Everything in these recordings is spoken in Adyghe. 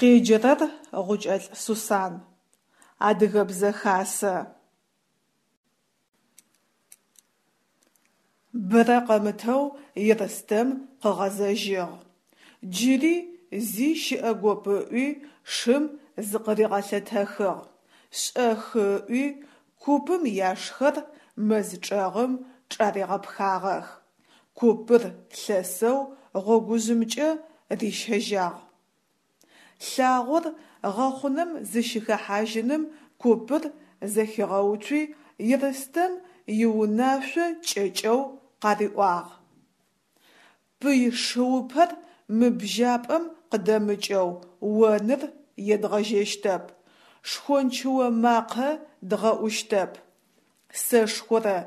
Къеджэрэр Гъукӏэлӏ Сусан. Адыгэбзэ хасэ. Бэрэ къэмытэу Ерстэм къыгъэзэжьыгъ. Джыри зи щыӏэгоп ыӏуи шым зыкъыригъэлъэтэхыгъ, шӏэхы ыӏуи купым яшхэр мэз чӏэгъым чӏаригъэпхагъэх. Купыр лъэсэу гъогужъымкӏэ рищэжьагъ. Лъагъор гъэхъунэм зыщыхэхьажьыным купыр зэхигъэуцуи Ерстэм иунашъо кӏэкӏэу къариӏуагъ: Пый шыупэр мы бжьапӏэм къыдэмыкӏэу оныр едгъэжьэщтэп, шхончыо макъэ дгъэӏущтэп. Сэшхорэ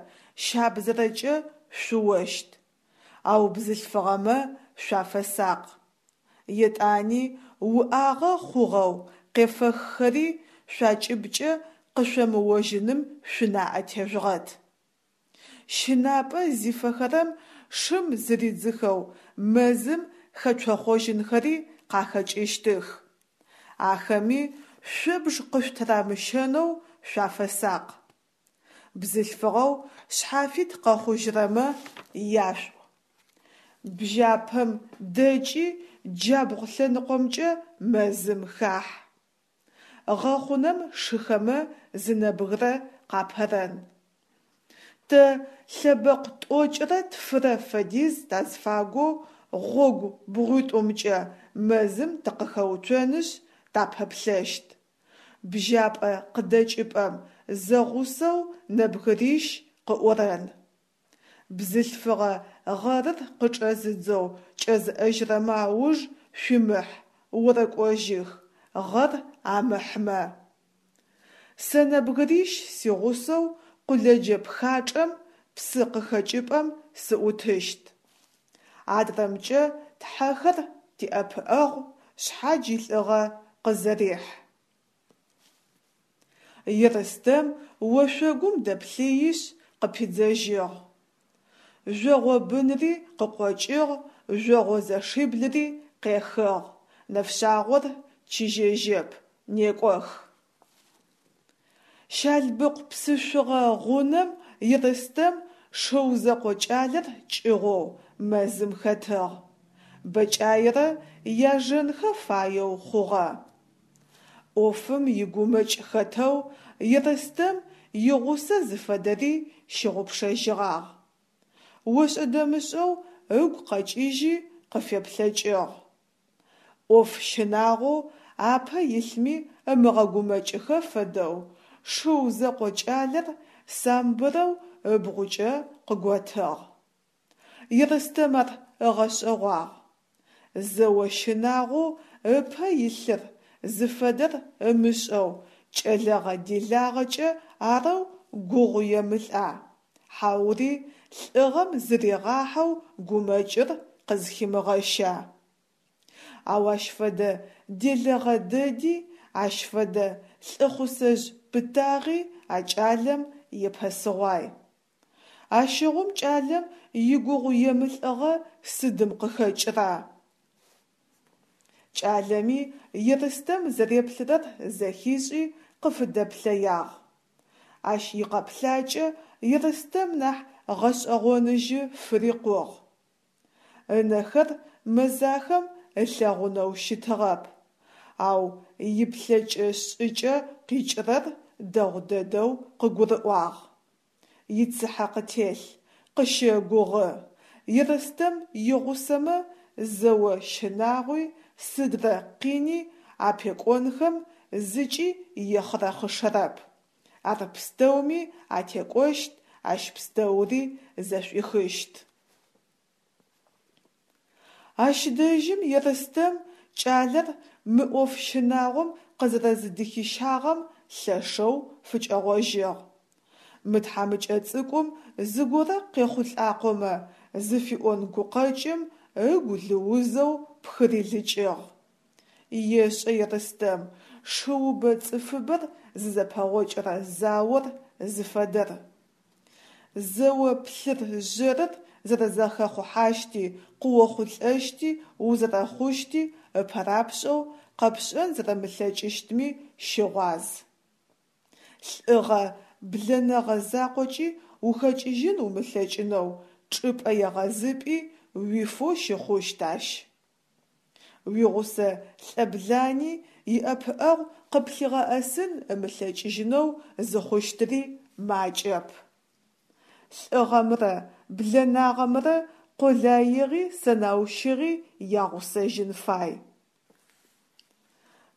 щабзэрэкӏэ шъуощт, ау бзылъфыгъэмэ шъуафэсакъ. Етӏани уӏагъэ хъугъэу къефэххэри шъуакӏыбкӏэ къышъомыожьыным шъунаӏэ тежъугъэт. Щынапӏэ зифэхэрэм шым зыридзыхэу мэзым хэцохъожьынхэри къахэкӏыщтых. Ахэми шъобж къышъутырамыщэнэу шъуафэсакъ. Бзылъфыгъэу шъхьафит къэхъужьырэмэ яшъуӏу. Бжьапэм дэкӏи джабгъу лъэныкъомкӏэ мэзым хахь. Гъэхъунэм шыхэмэ зы нэбгырэ къапэрэн. Тэ лъэбэкъу тӏокӏырэ тфырэ фэдиз тазфагоу гъогу бгъуитӏумкӏэ мэзым тыкъыхэуцонышъ тапэплъэщт. Бжьапӏэ къыдэкӏыпӏэм зэгъусэу нэбгырищ къыӏорэн. Бзылъфыгъэ гъэрыр къычӏэзыдзэу кӏэзыӏэжьырэмэ ауж шъуимыхь, орэкӏожьых, гъэр амыхьмэ. Сэ нэбгырищ сигъусэу къулэджэ пхачӏэм псы къыхэкӏыпӏэм сыӏутыщт. Адрэмкӏэ тхьэхэр тиӏэпыӏэгъу, шъхьадж илӏыгъэ къызэрехь. Ерстэм ошъогум дэплъыишъ къыпидзэжьыгъ. Жъогъобынри къыкъокӏыгъ, жъогъозэшиблыри къехыгъ, нэфшъагъор чыжьэжьэп, некӏох. Щалбыкъу псышъугъэ гъунэм Ерстэм шыу зэкъо кӏалэр кӏыгъоу мэзым хэтыгъ. Бэкӏаерэ яжэнхэ фаеу хъугъэ. ӏофым игумэкӏ хэтэу Ерстэм игъусэ зыфэдэри щыгъупшэжьыгъагъ. Ошӏэ-дэмышӏэу ыгу къэкӏыжьи къыфеплъэкӏыгъ. ӏоф щынагъоу апэ илъми ымыгъэгумэкӏыхэ фэдэу шыу зэкъо кӏалэр самбырэу ыбгъукӏэ къыготыгъ. Ерстэм ар ыгъэшӏэгъуагъ. Зэо щынагъоу ыпэ илъыр зыфэдэр ымышӏэу кӏэлэгъэ-делагъэкӏэ арэу гугъу емылӏа, хьаури лӏыгъэм зыригъахьэу гумэкӏыр къызхимыгъэща? Ау ащ фэдэ делэгъэ дэди, ащ фэдэ лӏыхъусэжъ пытагъи а кӏалэм епэсыгъуай. Ащыгъум кӏалэм игугъуемылӏыгъэ сыдым къыхэкӏыра? Кӏалэми Ерстэм зэреплъырэр зэхишӏи къыфыдэплъэягъ. Ащ икъэплъакӏэ Ерстэм нахь гъэшӏэгъоныжьы фырикъугъ. Ынэхэр мэзахэм ылъэгъунэу щытыгъэп, ау иплъэкӏэ-шӏыкӏэ къикӏырэр дэгъу дэдэу къыгурыӏуагъ. Ицыхьэ къытелъ, къыщэгугъы. Ерстэм игъусэмэ зэо щынагъуи сыдрэ къини апекӏонхэм зыкӏи ехъырэхъышэрэп. Ар пстэуми атекӏощт, ащ пстэури зэшӏуихыщт. Ащ дэжьым Ерстэм кӏалэр мы ӏоф щынагъом къызэрэзыдыхищагъэм лъэшэу фыкӏэгъожьыгъ. Мы тхьамыкӏэ цӏыкӏум зыгорэ къехъулӏакъомэ зыфиӏон гукъэкӏым ыгу лыузэу пхырилыкӏыгъ. Ешӏэ Ерстэм шыубэ цӏыфыбэр зызэпэгъокӏырэ заор зыфэдэр. Зэо плъыр-жъэрыр зэрэзэхэхъухьащти, къыохъулӏэщти, узэрэхъущти ыпэрапшӏэу къэпшӏэн зэрэмылъэкӏыщтми щыгъуаз. Лӏыгъэ, блэнэгъэ закъокӏи ухэкӏыжьын умылъэкӏынэу чӏыпӏэ егъэзыпӏи уифэу щыхъущт ащ. Уигъусэ лӏэблани иӏэпыӏэгъу къыплъигъэӏэсын ымылъэкӏыжьынэу зыхъущтыри макӏэп. Лӏыгъэмрэ блэнагъэмрэ къолаигъи сэнаущыгъи ягъусэжьын фай.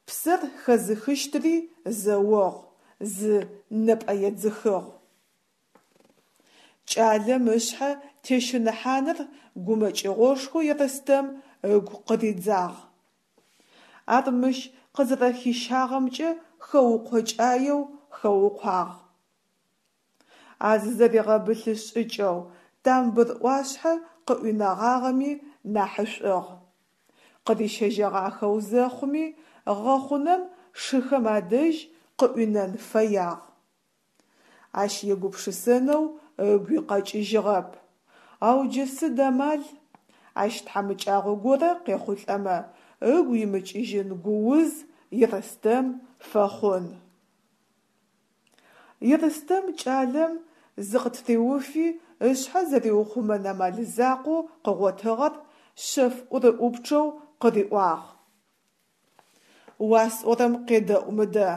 Псэр хэзыхыщтыри зэогъу, зы нэпӏэедзыхыгъу. Кӏалэм ышъхьэ тещыныхьаныр гумэкӏыгъошхоу Ерстэм ыгу къыридзагъ. Ар мыщ къызэрэхищагъэмкӏэ хэукъокӏаеу хэукъуагъ. А зызэригъэбылъы шӏыкӏэу тамбыр ӏуашъхьэ къыӏуинэгъагъэми нахьышӏугъ. Къырищэжьэгъахэу зэхъуми, гъэхъунэм шыхэм адэжь къыӏуинэн фэягъ. Ащ егупшысэнэу ыгуи къэкӏыжьыгъэп. Ау джы сыд амал? Ащ тхьамыкӏагъо горэ къехъулӏэмэ, ыгу имыкӏыжьын гууз Ерстэм фэхъун. Ерстэм кӏалэм зыкъытыриуфи, ышъхьэ зэриухъумэн амал закъоу къыгъотыгъэр шъэф ӏурыӏупчъэу къыриӏуагъ. Уасӏорэм къедэӏу мыдэ.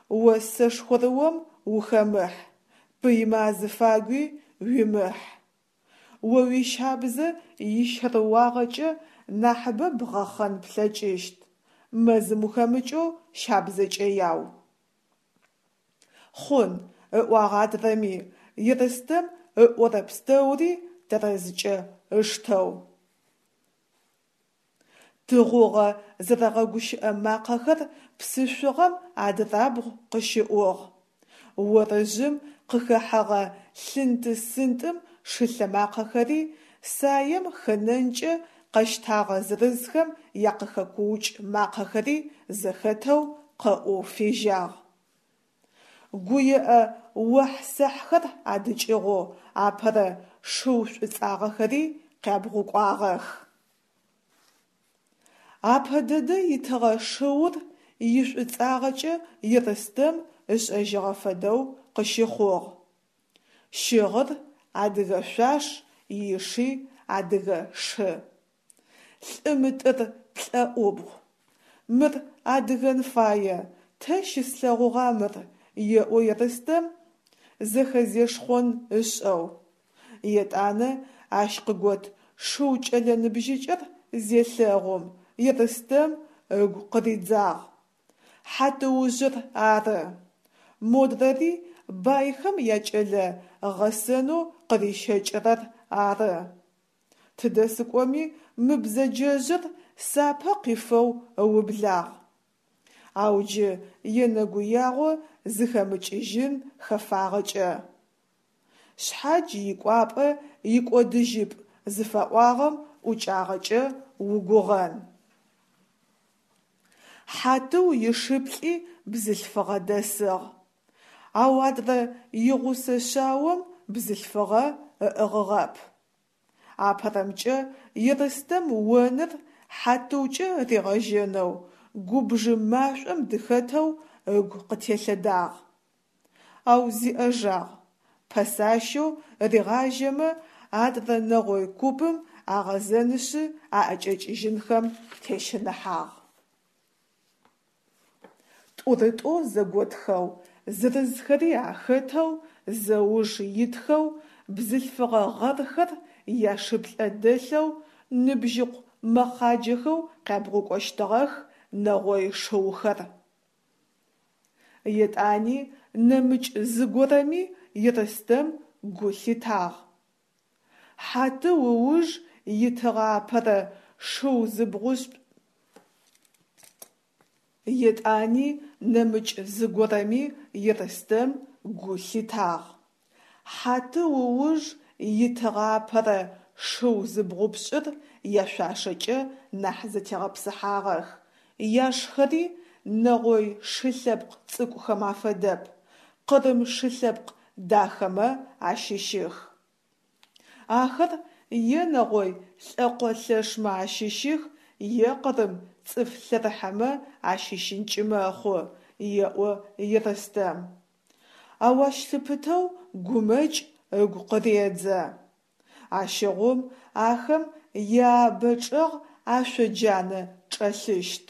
О сэшхорыом ухэмыхь, пыймэ азыфагуи уимыхь. О уищабзэ ищэрыуагъэкӏэ нахьыбэ бгъэхъэн плъэкӏыщт. Мэзым ухэмыкӏэу щабзэкӏэ яу. Хъун, ыӏуагъ адрэми, Ерстэм ыӏорэ пстэури тэрэзкӏэ ыштэу. Тыгъугъэ зэрэгъэгущыӏэ макъэхэр псышъугъэм адырабгъу къыщыӏугъ. Орыжъым къыхэхьэгъэ лъынты-сынтӏым шылъэмакъэхэри, саем хэнэнкӏэ къэщтагъэ зырызхэм якъыхэкуукӏ макъэхэри зэхэтэу къэӏоу фежьагъ. Гуеӏэ охь-сэхьхэр адыкӏыгъоу апэрэ шыу шӏуцӏагъэхэри къябгъукӏуагъэх. Апэ дэдэ итыгъэ шыур ишӏуцӏагъэкӏэ Ерстэм ышӏэжьыгъэ фэдэу къыщыхъугъ. Щыгъыр адыгэ шъуаш, иши адыгэ шы. Лӏы мытӏыр плӏэӏубгъу. Мыр адыгэн фае, тэ щыслъэгъугъа мыр, еӏо Ерстэм зэхэзешхъон ышӏэу. Етӏанэ ащ къыгот шыу кӏэлэ ныбжьыкӏэр зелъэгъум, Ерстэм ыгу къыридзагъ. Хьатыужъыр ары. Модрэри байхэм якӏэлэ гъэсэнэу къырищэкӏырэр ары. Тыдэ сыкӏоми мы бзэджэжъыр сапэ къифэу ыублагъ. Ау джы енэгуягъо зыхэмыкӏыжьын хэфагъэкӏэ. Шъхьадж икӏуапӏэ икӏодыжьыпӏ зыфаӏуагъэм ӏукӏагъэкӏэ угугъэн. Хьатыу ишиплӏи бзылъфыгъэ дэсыгъ. Ау адрэ игъусэ шъаом бзылъфыгъэ ыӏыгъыгъэп. Апэрэмкӏэ Ерстэм оныр Хьатыукӏэ ригъэжьэнэу губжы машӏом дыхэтэу ыгу къытелъэдагъ. Ау зиӏэжагъ, пэсащэу ригъажьэмэ адрэ нэгъой купым агъэзэнышъы аӏэкӏэкӏыжьынхэм тещыныхьагъ. Тӏурытӏоу зэготхэу, зырызхэри ахэтэу, зэуж итхэу, бзылъфыгъэ гъэрхэр яшыплӏэ дэлъэу, ныбжьыкъу мэхъаджэхэу къябгъукӏощтыгъэх нэгъой шыухэр. Етӏани нэмыкӏ зыгорэми Ерстэм гу лъитагъ. Хьатыу ыуж итыгъэ апэрэ шыу зыбгъушӏ Етӏани нэмыкӏ зыгорэми Ерстэм гу лъитагъ. Хьатыу ыуж итыгъэ апэрэ шыу зыбгъупшӏыр яшъуашэкӏэ нахь зэтегъэпсыхьагъэх, яшхэри нэгъой шы лъэпкъ цӏыкӏухэм афэдэп, къырым шы лъэпкъ дахэмэ ащыщых. Ахэр е нэгъой лӏэкъо лъэшмэ ащыщых, е къырым цӏыф лъэрыхьэмэ ащыщынкӏи мэхъу, еӏо Ерстэм. Ау ащ лъыпытэу гумэкӏ ыгу къыредзэ. Ащыгъум ахэм яабэ чӏэгъ ашъо джанэ чӏэлъыщт.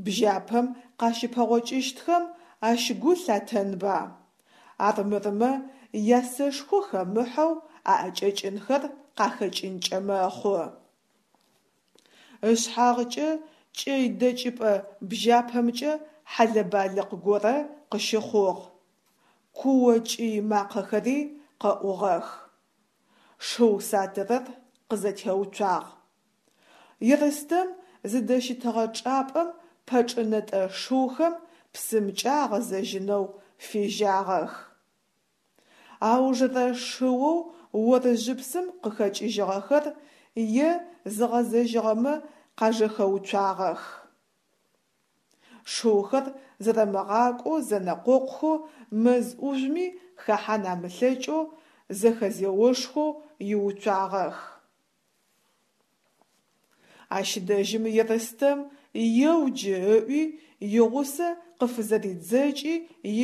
Бжьэпэм къащыпэгъокӏыщтхэм ащ гу лъатэнба? Армырмэ, ясэшхо хэмыхьэу аӏэкӏэкӏынхэр къахэкӏынкӏэ мэхъу. Ышъхьагъкӏэ кӏэй дэкӏыпӏэ бжьэпэмкӏэ хьэлэ-балыкъ горэ къыщыхъугъ. Куо-кӏый макъэхэри къэӏугъэх. Шыу сатырэр къызэтеуцуагъ. Ерстэм зыдэщытыгъэ чӏыпӏэм пэчӏынэтӏэ шыухэм псымкӏэ агъэзэжьынэу фежьагъэх. Аужырэ шыоу орыжъыпсым къыхэкӏыжьыгъэхэр е зыгъэзэжьыгъэмэ къажэхэуцуагъэх. Шыухэр зэрэмыгъакӏоу зэнэкъокъухэу мэз ӏужъуми хэхьан амылъэкӏэу зэхэзеошхэу иуцуагъэх. Ащ дэжьым Ерстэм еу джы ыӏуи игъусэ къыфызэридзэкӏи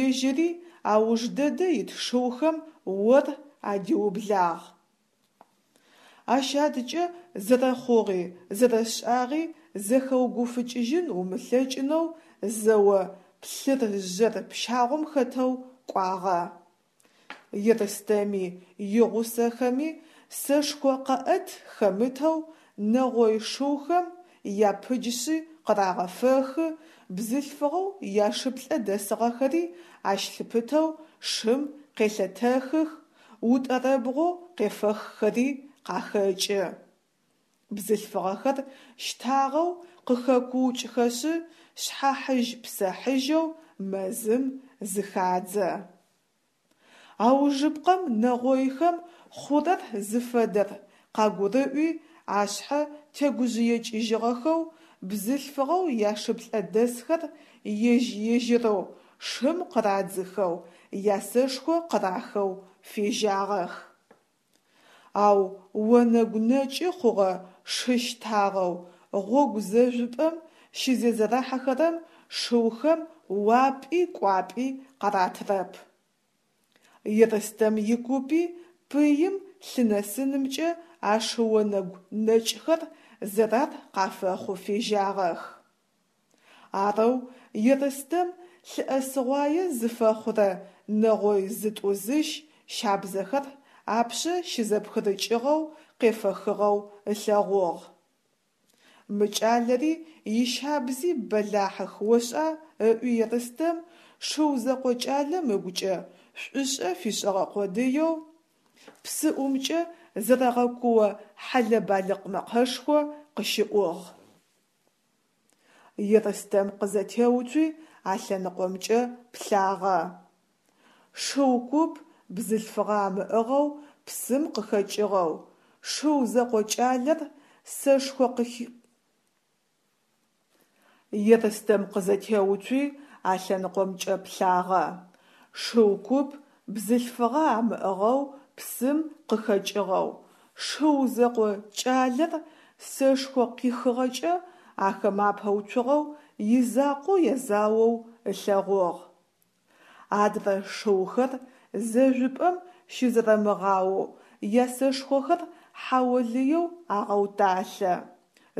ежьыри ауж дэдэ ит шыухэм ор адиублагъ. Ащ адкӏэ зэрэхъугъи зэрэшӏагъи зэхэугуфыкӏыжьын умылъэкӏынэу зэо плъыр-жъэр пщагъом хэтэу кӏуагъэ. Ерстэми игъусэхэми сэшхо къэӏэт хэмытэу нэгъой шыухэм япыджшъи къырагъэфэхы, бзылъфыгъэу яшыплӏэ дэсыгъэхэри ащ лъыпытэу шым къелъэтэхых, утӏэрэбгъоу къефэххэри къахэкӏы. Бзылъфыгъэхэр щтагъэу къыхэкуукӏхэшъы, шъхьахьыжь-псэхьыжьэу мэзым зыхадзэ. Аужыпкъэм нэгъойхэм хъурэр зыфэдэр къагурыӏуи, ашъхьэ тегужъыекӏыжьыгъэхэу, бзылъфыгъэу яшыплӏэ дэсхэр ежь-ежьырэу шым къырадзыхэу, ясэшхо къырахэу фежьагъэх. Ау онэгу нэкӏы хъугъэ шы щтагъэу гъогу зэжъупӏэм щызезэрэхьэхэрэм шыухэм уапӏи кӏуапӏи къаратырэп. Ерстэм икупи пыим лъынэсынымкӏэ а шы онэгу нэкӏхэр зэрар къафэхъу фежьагъэх. Арэу Ерстэм лъыӏэсыгъуае зыфэхъурэ нэгъой зытӏу-зыщ щабзэхэр апшъэ щызэпхырыкӏыгъэу къефэхыгъэу ылъэгъугъ. Мы кӏалэри ищабзи бэлахьых ошӏа ыӏуи Ерстэм шыу зэкъо кӏалэм ыгукӏэ шӏушӏэ фишӏыгъэ къодыеу, псыӏумкӏэ зэрэгъэкуо хьэлэ-балыкъ мэкъэшхо къыщыӏугъ. Ерстэм къызэтеуцуи а лъэныкъомкӏэ плъагъэ. Шыу куп бзылъфыгъэ амыӏыгъэу псым къыхэкӏыгъэу, шыу зэкъо кӏалэр сэшхо къыхи. Ерстэм къызэтеуцуи а лъэныкъомкӏэ плъагъэ. Шыу куп бзылъфыгъэ амыӏыгъэу псым къыхэкӏыгъэу, шыу зэкъо кӏалэр сэшхо къихыгъэкӏэ ахэмэ апэуцугъэу изакъоу язаоу ылъэгъугъ. Адрэ шыухэр зэжъупӏэм щызэрэмыгъаоу ясэшхохэр хьаолыеу агъэуталъэ,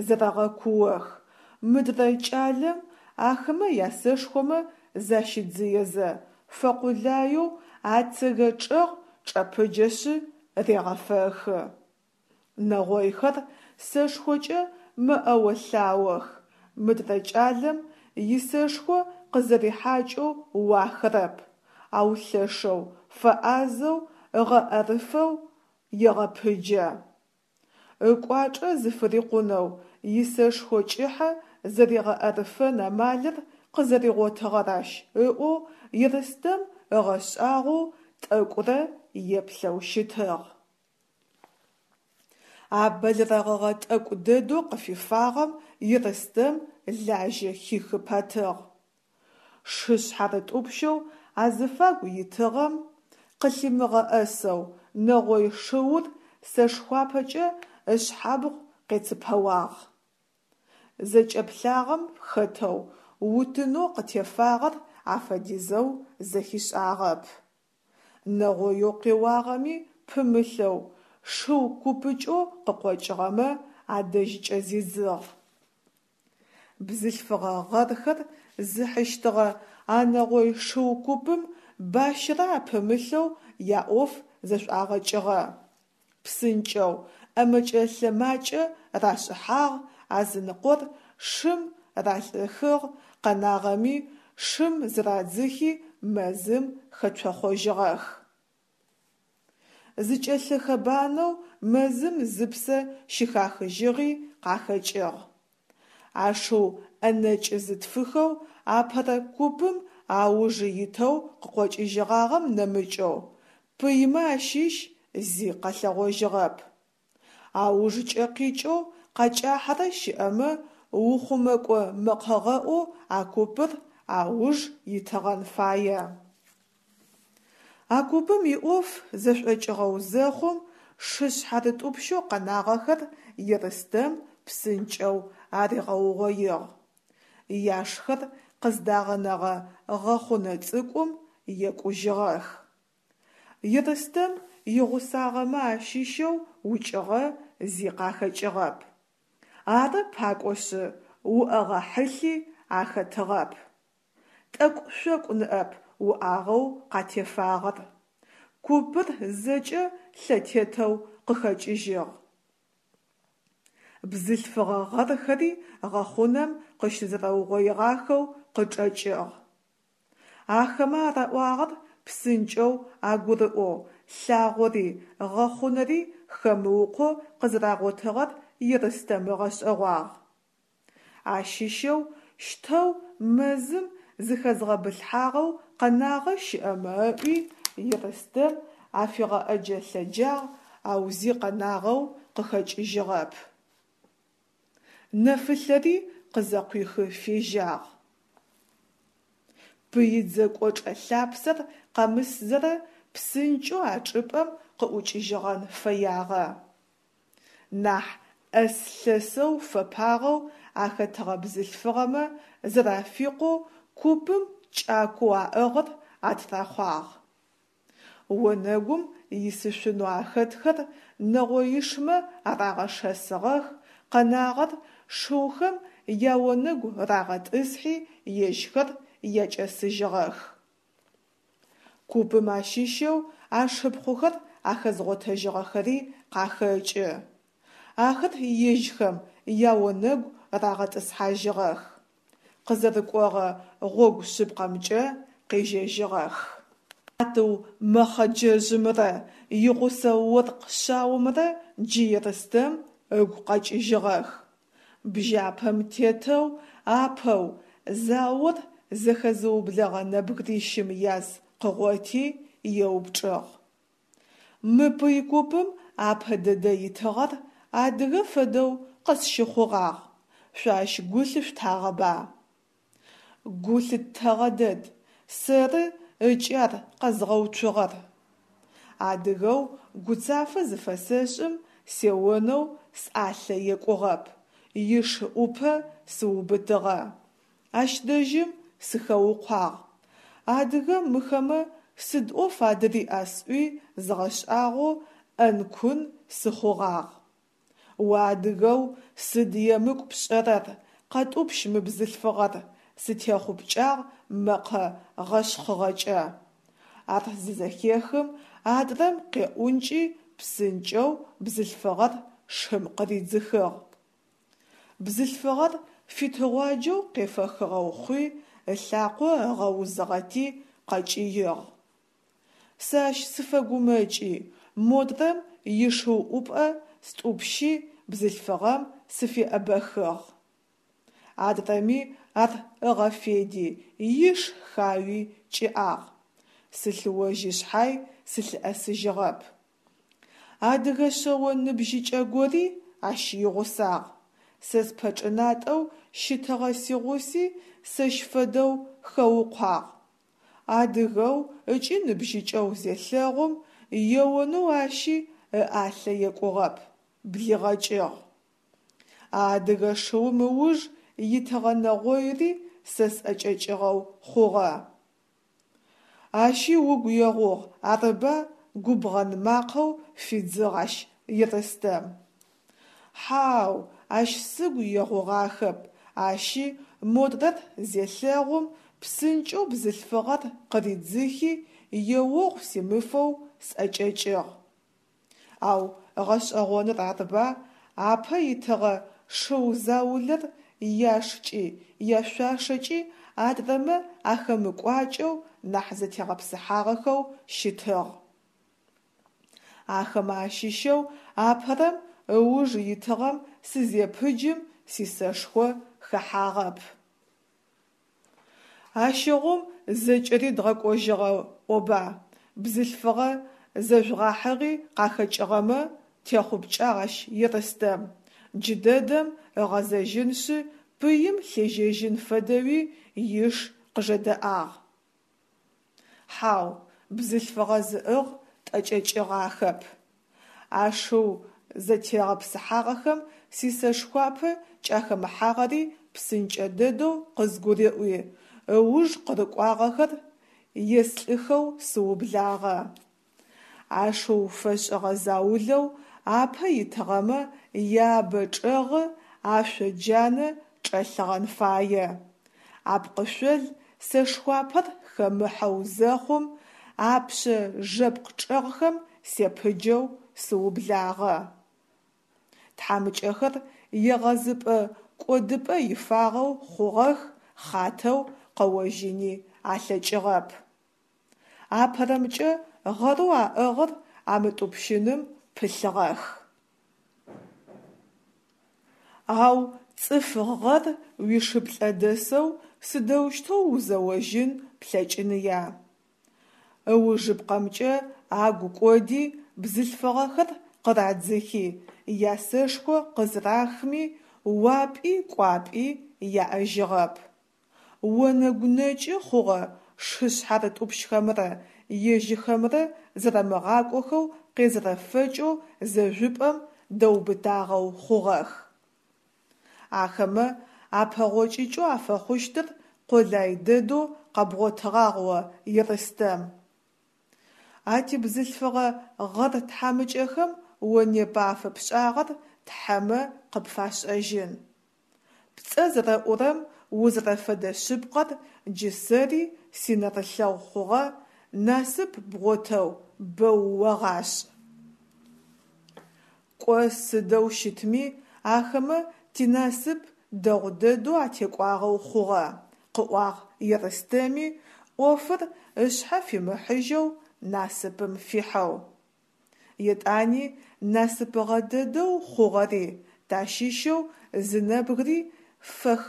зэрэгъэкуох, мыдрэ кӏалэм ахэмэ ясэшхомэ защидзыезэ, фэкъулаеу ацэгэ чӏэгъ чӏэпыджэшъы регъэфэхы. Нэгъойхэр сэшхокӏэ мэӏэо-лъаох, мыдрэ кӏалэм исэшхо къызэрихьакӏэу уахырэп, ау лъэшэу, фэӏазэу, ыгъэӏэрыфэу егъэпыджэ. Ыкӏуачӏэ зыфырикъунэу исэшхо кӏыхьэ зэригъэӏэрыфэн амалыр къызэригъотыгъэр ащ ыӏоу Ерстэм ыгъэшӏагъоу тӏэкӏурэ еплъэу щытыгъ. А бэлэрэгъыгъэ тӏэкӏу дэдэу къыфифагъэм Ерстэм лажьэ хихы пэтыгъ. Шы шъхьарытӏупщэу азыфагу итыгъэм къылъимыгъэӏэсэу нэгъой шыур сэшхуапэкӏэ ышъхьабгъу къецыпэуагъ. Зэкӏэплъагъэм хэтэу утынэу къытефагъэр афэдизэу зэхишӏагъэп. Нэгъоеу къеуагъэми пымылъэу шыу купыкӏэу къыкъокӏыгъэмэ адэжькӏэ зидзыгъ. Бзылъфыгъэ гъэрхэр зыхьыщтыгъэ а нэгъой шыу купым бащэрэ апымылъэу яӏоф зэшӏуагъэкӏыгъэ. Псынкӏэу, ӏэмэкӏэ-лъэмакӏэ рашӏыхьагъ, азыныкъор шым ралӏыхыгъ, къэнагъэми шым зырадзыхи мэзым хэцохъожьыгъэх. Зыкӏэлъыхэбанэу мэзым зыпсэ щыхахыжьыгъи къахэкӏыгъ. А шыу ӏэнэкӏ зытфыхэу апэрэ купым ауж итэу къыкъокӏыжьыгъагъэм нэмыкӏэу, пыймэ ащыщ зи къэлъэгъожьыгъэп. Аужкӏэ къикӏэу къакӏахьэрэ щыӏэмэ ухъумэкӏо мэкъэгъэӏоу а купыр ауж итыгъэн фае. А купым иӏоф зэшӏокӏыгъэу зэхъум, шы шъхьарытӏупщэу къэнагъэхэр Ерстэм псынкӏэу аригъэугъоигъ. Яшхэр къыздагъэнэгъэ гъэхъунэ цӏыкӏум екӏужьыгъэх. Ерстэм игъусагъэмэ ащыщэу укӏыгъэ зи къахэкӏыгъэп. Ары пакӏошъы, уӏэгъэ хьылъи ахэтыгъэп. Тӏэкӏу-шъокӏу ныӏэп уӏагъэу къатефагъэр. Купыр зэкӏэ лъэтетэу къыхэкӏыжьыгъ. Бзылъфыгъэ гъэрхэри гъэхъунэм къыщызэрэугъоигъахэу къычӏэкӏыгъ. Ахэмэ араӏуагъэр псынкӏэу агурыӏоу, лъагъори, гъэхъунэри хэмыукъоу къызэрагъотыгъэр Ерстэм ыгъэшӏэгъуагъ. Ащыщэу щтэу мэзым зыхэзгъэбылъхьагъэу къэнагъэ щыӏэмэ ыӏуи, Ерстэм афигъэӏэджэ-лъэджагъ, ау зи къэнагъэу къыхэкӏыжьыгъэп. Нэфылъэри къызэкъуихы фежьагъ. Пыидзэ кӏочӏэ лъапсэр къэмысзэрэ псынкӏэу а чӏыпӏэм къыӏукӏыжьыгъэн фэягъэ. Нахь ӏэс-лъэсэу фэпагъэу ахэтыгъэ бзылъфыгъэмэ зэрафикъоу купым кӏакоу аӏыгъыр атрахъуагъ. Онэгум исышъунэу ахэтхэр нэгъоишмэ арагъэшэсыгъэх, къэнагъэр шыухэм яонэгу рагъэтӏысхьи, ежьхэр якӏэсыжьыгъэх. Купым ащыщэу ашыпхъухэр ахэзгъотэжьыгъэхэри къахэкӏы. Ахэр ежьхэм яонэгу рагъэтӏысхьажьыгъэх. Къызэрыкӏогъэ гъогу шъыпкъэмкӏэ къежьэжьыгъэх. Сатыу мэхъэджэжъымрэ игъусэ оркъ шъаомрэ джы Ерстэм ыгу къэкӏыжьыгъэх. Бжьапэм тетэу апэу заор зэхэзыублэгъэ нэбгырищым яз къыгъоти, еупчӏыгъ. Мы пый купым апэ дэдэ итыгъэр адыгэ фэдэу къысщыхъугъагъ, шъо ащ гу лъышъутагъэба? Гу лъыттэгъэ дэд, сэры ыкӏи ар къэзгъэуцугъэр. Адыгэу гуцафэ зыфэсэшӏым сеонэу сӏалъэ екӏугъэп, иш ӏупэ сыубытыгъэ. Ащ дэжьым сыхэукъуагъ. Адыгэм мыхэмэ сыд ӏоф адыриӏа сӏуи згъэшӏагъоу ӏэн-кун сыхъугъагъ. Уадыгэу сыд емыкӏу пшӏэрэр, къэтӏупщ мы бзылъфыгъэр, сытехъупкӏагъ мэкъэ гъэшъхъыгъэкӏэ. Ар зызэхехым, адрэм къеӏункӏи псынкӏэу бзылъфыгъэр шым къыридзыхыгъ. Бзылъфыгъэр фитыгъуаджэу къефэхыгъэу хъуи, ылъакъо ыгъэузыгъэти къэкӏыигъ. Сэ ащ сыфэгумэкӏи, модрэм ишыу ӏупӏэ стӏупщи бзылъфыгъэм сыфеӏэбэхыгъ. Адрэми ар ыгъэфеди, иш хауи кӏиӏагъ. Сылъыожьи шъхьай сылъыӏэсыжьыгъэп. Адыгэ шъэо ныбжьыкӏэ гори ащ игъусагъ. Сэ спэчӏынатӏэу щытыгъэ сигъуси сэщ фэдэу хэукъуагъ. Адыгэу ыкӏи ныбжьыкӏэу зелъэгъум, еонэу ащи ыӏалъэ екӏугъэп, блигъэкӏыгъ. А адыгэ шыум ыуж итыгъэ нэгъойри сэ сӏэкӏэкӏыгъэу хъугъэ. Ащи угу егъугъ, арыба? Губгъэн макъэу фидзыгъ ащ Ерстэм. Хьау, ащ сыгу егъугъахэп, ащи модрэр зелъэгъум, псынкӏэу бзылъфыгъэр къыридзыхи, еогъу симыфэу сӏэкӏэкӏыгъ. Ау гъэшӏэгъоныр арба, апэ итыгъэ шыу заулэр яшкӏи, яшъуашэкӏи адрэмэ ахэмыкӏуакӏэу нахь зэтегъэпсыхьагъэхэу щытыгъ. Ахэмэ ащыщэу апэрэм ыуж итыгъэм сызепыджым сисэшхо хэхьагъэп. Ащыгъум зэкӏэри дгъэкӏожьыгъэ ӏоба, бзылъфыгъэ зэжъугъахьыгъи къахэкӏыгъэмэ, техъупкӏагъ ащ Ерстэм, джыдэдэм ыгъэзэжьынышъ пыим лъежьэжьын фэдэуи иш къыжэдэӏагъ. Хьау, бзылъфыгъэ зыӏыгъ тӏэкӏэкӏыгъахэп. А шыу зэтегъэпсыхьагъэхэм сисэшхуапэ кӏахэмыхьагъэри псынкӏэ дэдэу къызгурыӏуи, ыуж къырыкӏуагъэхэр еслӏыхэу сыублагъэ. А шыу фэшӏыгъэ заулэу апэ итыгъэмэ яабэ чӏэгъы ашъо джанэ чӏэлъыгъэн фае. Апкъышъол сэшхуапэр хэмыхьэу зэхъум, апшъэ жэпкъ чӏэгъхэм сепыджэу сыублагъэ. Тхьамыкӏэхэр егъэзыпӏэ кӏодыпӏэ ифагъэу хъугъэх, хъатэу къэожьыни алъэкӏыгъэп. Апэрэмкӏэ гъэрэу аӏыгъыр амытӏупщыным пылъыгъэх. Ау цӏыф гъэр уишыплӏэ дэсэу сыдэущтэу узэожьын плъэкӏыныя? Ыужыпкъэмкӏэ агу кӏоди, бзылъфыгъэхэр къырадзыхи, ясэшхо къызырахми, уапӏи кӏуапӏи яӏэжьыгъэп. Онэгу нэкӏы хъугъэ шы шъхьарытӏупщхэмрэ ежьыхэмрэ зэрэмыгъакӏохэу къезэрэфэкӏэу зэжъупӏэм дэубытагъэу хъугъэх. Ахэмэ апэгъокӏыкӏэу афэхъущтыр къолай дэдэу къэбгъотыгъагъ о, Ерстэм. А тибзылъфыгъэ гъэр тхьамыкӏэхэм о непэ афэпшӏагъэр тхьэмэ къыпфашӏэжьын. Пцӏэ зэрэӏурэм узэрэфэдэ шъыпкъэр джы сэри синэрылъэгъу хъугъэ, насып бгъотэу бэу огъашӏ. Кӏо сыдэу щытми, ахэмэ тинасып дэгъу дэдэу атекӏуагъэу хъугъэ, къыӏуагъ Ерстэми, ӏофыр ышъхьэ фимыхьыжьэу насыпым фихьэу. Етӏани насыпыгъэ дэдэу хъугъэри, тащыщэу зы нэбгыри фэх.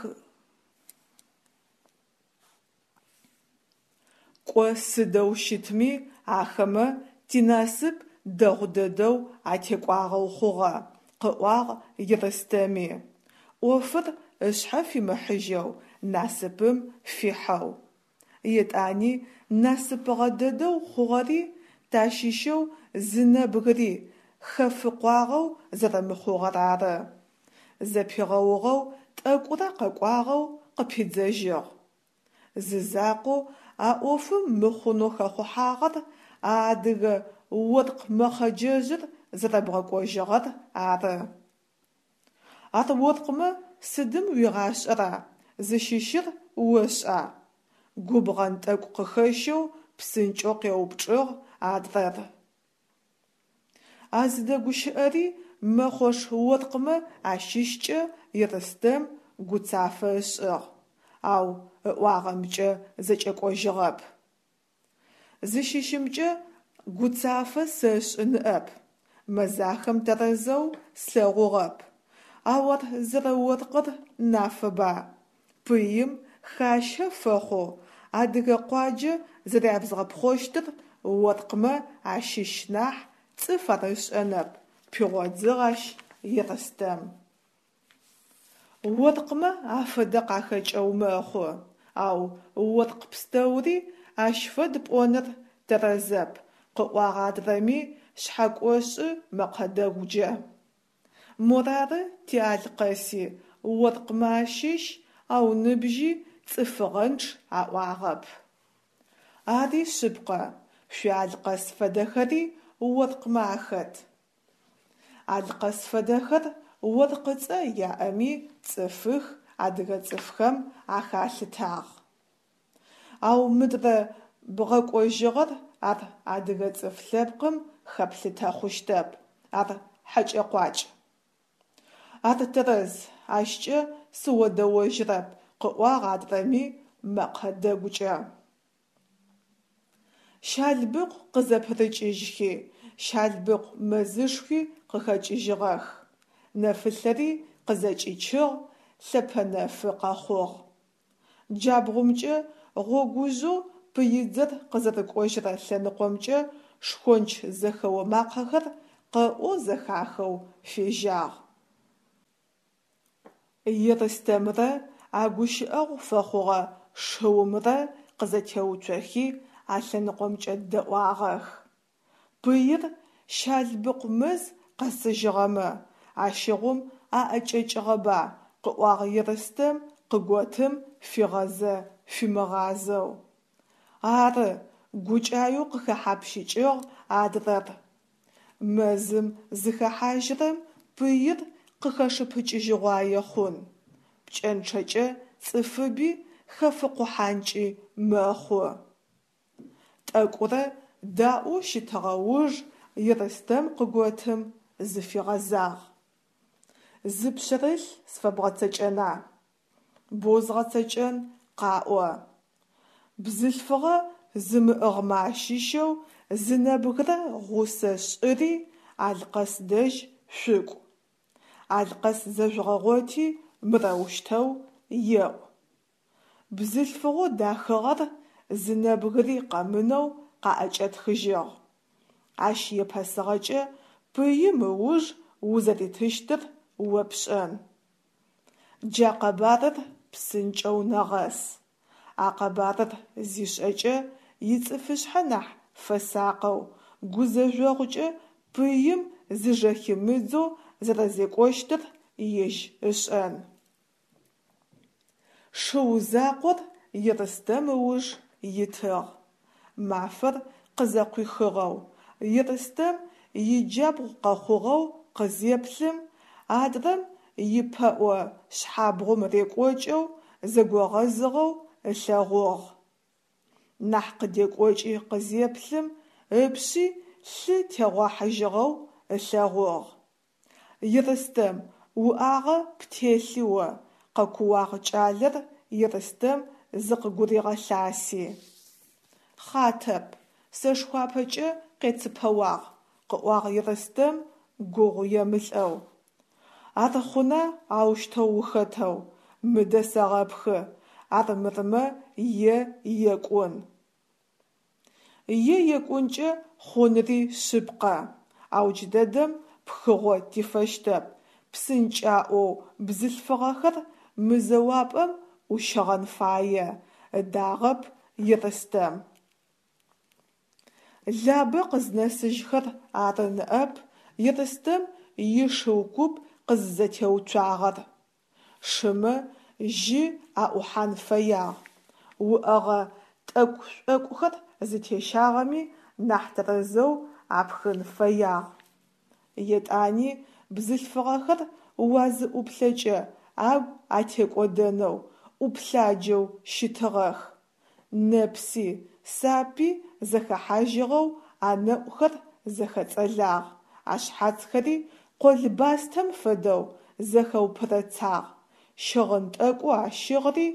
Кӏо сыдэу щытми, ахэмэ тинасып дэгъу дэдэу атекӏуагъэу хъугъэ, къыӏуагъ Ерстэми, ӏофыр ышъхьэ фимыхьыжьэу насыпым фихьэу. Етӏани насыпыгъэ дэдэу хъугъэри, тащыщэу зы нэбгыри хэфыкъуагъэу зэрэмыхъугъэр ары. Зэпигъэугъэу тӏэкӏурэ къэкӏуагъэу къыпидзэжьыгъ. Зызакъоу а ӏофым мыхъунэу хэхъухьагъэр а адыгэ оркъ мэхъэджэжъыр зэрэбгъэкӏожьыгъэр ары. Ар оркъмэ сыдым уигъашӏэра, зыщыщыр ошӏа? Губгъэн тӏэкӏу къыхэщэу псынкӏэу къеупчӏыгъ адрэр. А зыдэгущыӏэри мэхъош оркъмэ ащыщкӏэ Ерстэм гуцафэ ышӏыгъ, ау ыӏуагъэмкӏэ зэкӏэкӏожьыгъэп. Зыщыщымкӏэ гуцафэ сэшӏы ныӏэп, мэзахэм тэрэзэу слъэгъугъэп, ау ар зэрэоркъыр нафэба, пыим хащэ фэхъоу адыгэ къуаджэ зэрябзгъэпхъощтыр оркъмэ ащыщ нахь цӏыф ар ышӏэнэп, пигъодзыгъ ащ Ерстэм. Оркъмэ афэдэ къахэкӏэу мэхъу, ау оркъ пстэури ащ фэд пӏоныр тэрэзэп, къыӏуагъ адрэми шъхьэкӏошӏы мэкъэ дэгукӏэ. Морары ти Алъкъэси оркъмэ ащыщ, ау ныбжьи цӏыфыгъэнчъ аӏуагъэп. Ари шъыпкъэ, шъуи Алъкъэс фэдэхэри оркъмэ ахэт. Алъкъэс фэдэхэр оркъыцӏэ яӏэми цӏыфых, адыгэ цӏыфхэм ахалъытагъ. Ау мыдрэ бгъэкӏожьыгъэр ар адыгэ цӏыф лъэпкъым хэплъытэ хъущтэп, ар хьэкӏэ-къуакӏ. Ар тэрэз, ащкӏэ сыодэожьырэп, къыӏуагъ адрэми мэкъэ дэгукӏэ. Щалбыкъу къызэпырыкӏыжьхи, Щалбыкъу мэзышхуи къыхэкӏыжьыгъэх. Нэфылъэри къызэкӏичыгъ, лъэпэнэфы къэхъугъ. Джабгъумкӏэ гъогужъэу пыидзэр къызэрыкӏожьырэ лъэныкъомкӏэ шхонч зэхэо макъэхэр къэӏоу зэхахэу фежьагъ. Ерстэм,рэ а гущыӏэгъу фэхъугъэ шыумрэ къызэтеуцохи а лъэныкъомкӏэ дэӏуагъэх. Пыир Щалбыкъу мэз къэсыжьыгъэмэ, ащыгъум аӏэкӏэкӏыгъэба, къыӏуагъ Ерстэм къыготым фигъэзэ-фимыгъазэу. Ары, гукӏаеу къыхэхьапщыкӏыгъ адрэр. Мэзым зыхэхьажьырэм пыир къыхэшыпыкӏыжьыгъуае хъун, пкӏэнчъэкӏэ цӏыфыби хэфыкъухьанкӏи мэхъу. Тӏэкӏурэ даӏоу щытыгъэ уж Ерстэм къыготым зыфигъэзагъ. Зы пшъэрылъ сфэбгъэцэкӏэна? Боу згъэцэкӏэн, къаӏо. Бзылъфыгъэ зымыӏыгъмэ ащыщэу зы нэбгырэ гъусэ шӏыри Алъкъэс дэжь шъукӏу. Алъкъэс зэжъугъэгъоти мырэущтэу еӏу. Бзылъфыгъэу дахыгъэр зы нэбгыри къэмынэу къаӏэкӏэтхыжьыгъ. Ащ епэсыгъэкӏэ пыим ыуж узэритыщтыр о пшӏэн. Джа къэбарыр псынкӏэу нэгъэс. А къэбарыр зишӏэкӏэ ицӏыфышъхьэ нахь фэсакъэу, гузэжъогъукӏэ пыим зыжэхимыдзэу зэрэзекӏощтыр ежь ышӏэн. Шыу закъор Ерстэм ыуж итыгъ. Мафэр къызэкъуихыгъэу, Ерстэм иджабгъу къэхъугъэу къызеплъым, адрэм ипэӏо шъхьабгъум рекӏокӏэу, зэгогъэзыгъэу ылъэгъугъ. Нахь къыдекӏокӏи къызеплъым, ыпшъи лъы тегъуахьыжьыгъэу ылъэгъугъ. Ерстэм, уӏагъэ птелъи о, къэкууагъ кӏалэр Ерстэм зыкъыгуригъэлъаси. Хъатэп, сэшхуапэкӏэ къецыпэуагъ, къыӏуагъ Ерстэм гугъу емылӏэу. Ар хъуна аущтэу ухэтэу, мыдэ сэгъэпхы, армырмэ е екӏун. Е екӏункӏэ хъунри шъыпкъэ, ау джыдэдэм пхыгъо тифэщтэп, псынкӏаӏоу бзылъфыгъэхэр мы зэуапӏэм ӏущыгъэн фае, ыдагъэп Ерстэм. Лабэ къызнэсыжьхэр ары ныӏэп Ерстэм ишыу куп къызызэтеуцуагъэр. Шымэ жьы аӏухьан фэягъ, уӏэгъэ тӏэкӏу-шӏокӏухэр зытещагъэми нахь тэрэзэу апхын фэягъ. Етӏани бзылъфыгъэхэр уазыӏуплъэкӏэ агу атекӏодэнэу, ӏуплъаджэу щытыгъэх. Нэпси, сапи зэхэхьажьыгъэу анэӏухэр зэхэцӏэлагъ, ашъхьацхэри къолбастэм фэдэу зэхэупырэцагъ, щыгъын тӏэкӏоу ащыгъри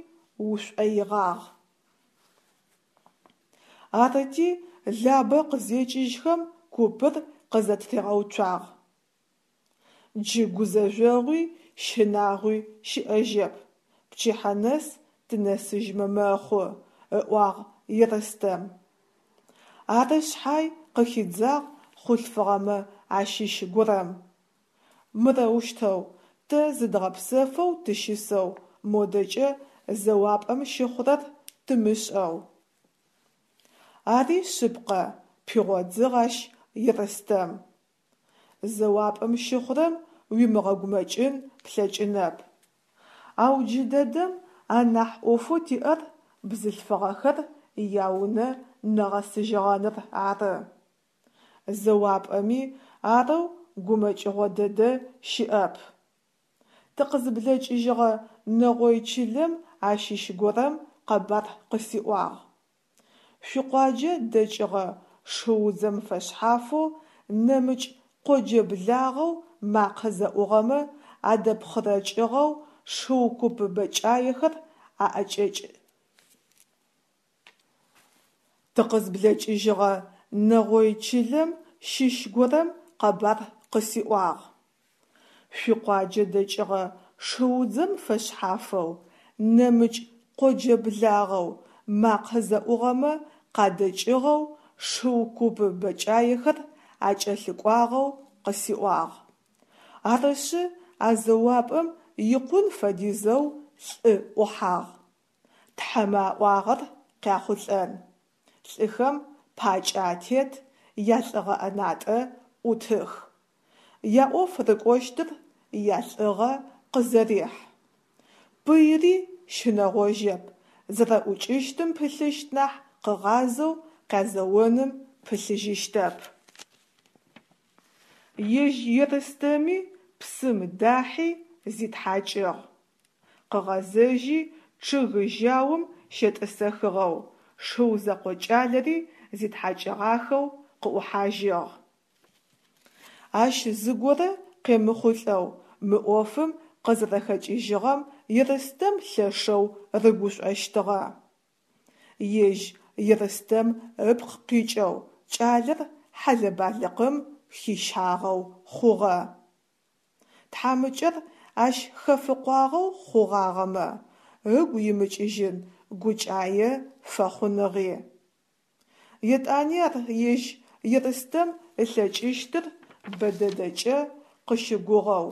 ушӏоигъагъ. Арыти, Лабэ къызекӏыжьхэм купыр къызэтыригъэуцуагъ. Джы гузэжъогъуи щынагъуи щыӏэжьэп, пчыхьэ нэс тынэсыжьмэ мэхъу, ыӏуагъ Ерстэм. Ары шъхьай, къыхидзагъ хъулъфыгъэмэ ащыщ горэм. Мырэущтэу, тэ зыдгъэпсэфэу тыщысэу, модэкӏэ зэуапӏэм щыхъурэр тымышӏэу. Ари шъыпкъэ, пигъодзыгъ ащ Ерстэм. Зэуапӏэм щыхъурэм уимыгъэгумэкӏын плъэкӏынэп. Ау джыдэдэм анахь ӏофэу тиӏэр бзылъфыгъэхэр яунэ нэгъэсыжьыгъэныр ары. Зэуапӏэми арэу гумэкӏыгъо дэдэ щыӏэп. Тыкъызблэкӏыжьыгъэ нэгъой чылэм ащыщ горэм къэбар къысиӏуагъ. Шъуикъуаджэ дэкӏыгъэ шыудзэм фэшъхьафэу нэмыкӏ къоджэ благъэу макъэ зэӏугъэмэ адэпхъырэкӏыгъэу шыу куп бэкӏаехэр аӏэкӏэкӏ. Тыкъызблэкӏыжьыгъэ нэгъой чылэм щыщ горэм къэбар къысиӏуагъ. Шъуикъуаджэ дэкӏыгъэ шыудзэм фэшъхьафэу, нэмыкӏ къоджэ благъэу макъэ зэӏугъэмэ къадэкӏыгъэу шыу куп бэкӏаехэр акӏэлъыкӏуагъэу къысиӏуагъ. Арышъы, а зэуапӏэм икъун фэдизэу лӏы ӏухьагъ. Тхьэмэ аӏуагъэр къяхъулӏэн. Лӏыхэм пакӏэ атет, ялӏыгъэ ӏэнатӏэ ӏутых. Яӏоф рыкӏощтыр ялӏыгъэ къызэрихь. Пыйри щынэгъожьэп, зэрэӏукӏыщтым пылъыщт нахь къыгъазэу къязэоным пылъыжьыщтэп. Ежь Ерстэми псым дахьи зитхьакӏыгъ. Къыгъэзэжьи чъыг жьаум щетӏысэхыгъэу, шыу зэкъо кӏалэри зитхьакӏыгъахэу къыӏухьажьыгъ. Ащ зыгорэ къемыхъулӏэу мы ӏофым къызэрэхэкӏыжьыгъэм Ерстэм лъэшэу рыгушӏощтыгъэ. Ежь Ерстэм ыпкъ къикӏэу кӏалэр хьэлэ-балыкъым хищагъэу хъугъэ. Тхьамыкӏэр ащ хэфыкъуагъэу хъугъагъэмэ, ыгу имыкӏыжьын гукӏае фэхъуныгъи. Етӏани ар ежь Ерстэм ылъэкӏыщтыр бэдэдэкӏэ къыщыгугъэу,